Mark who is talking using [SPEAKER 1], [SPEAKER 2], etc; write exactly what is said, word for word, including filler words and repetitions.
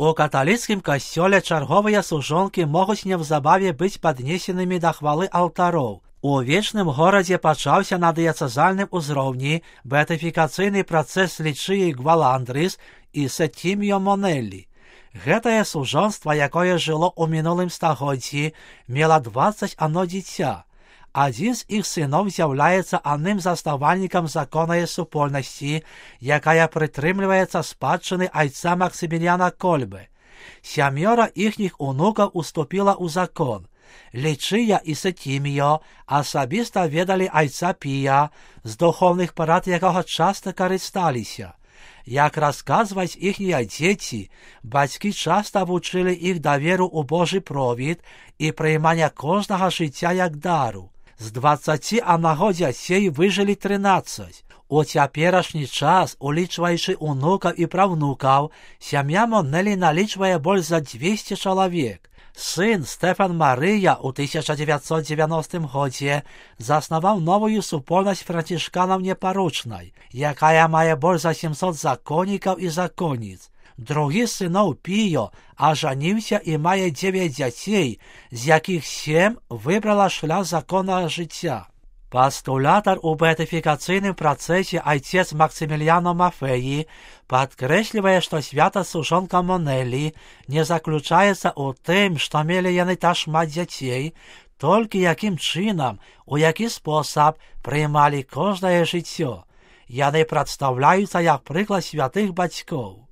[SPEAKER 1] У каталіцкім касцёле чарговыя служонкі могуць неўзабаве быць паднесенымі да хвалы алтароў. У вечным горадзе пачаўся на дыяцэзальным узроўні беатыфікацыйны працэс Лічыі Гваландрыс і Сеттіміо Монеллі. Гэтае служонства, якое жыло ў мінулым стагоддзі, мела дваццаць адно дзіця. Адзін з іх сыноў з'яўляецца адным з заснавальнікам законнай супольнасці, якая прытрымліваецца спадчыны айца Максіміліяна Кольбы. Сямёра іхніх унукаў уступіла ў закон. Лічыя і Сеттіміо асабіста ведалі айца Пія, з духоўных парад якога часта карысталіся. Як расказваюць іхнія дзеці, бацькі часта вучылі іх даверу ў Божы провід і прыймання кожнага жыцця як дару. З дваццаці аднаго дзяцей выжылі трынаццаць. У цяперашні час, улічваючы унукаў і праўнукаў, сям'я Монеллі налічвае больш за дзвесце чалавек. Сын Стэфан Марыя ў тысяча дзевяцьсот дзевяностым годзе заснаваў новую супольнасць францішканаў непарочнай, якая мае больш за сямсот законнікаў і законніц. Другі з сыноў Піо ажаніўся і мае дзевяць дзяцей, з якіх сем выбрала шлях законнага жыцця. Пастулятар у беатыфікацыйным працэсе айцец Максіміліяно Мафеі падкрэслівае, што свята служонка Монеллі не заключаецца ў тым, што мелі яны та шмат дзяцей, толькі якім чынам, у які спосаб прыймалі кожнае жыццё. Яны прадстаўляюцца як прыклад святых бацькоў.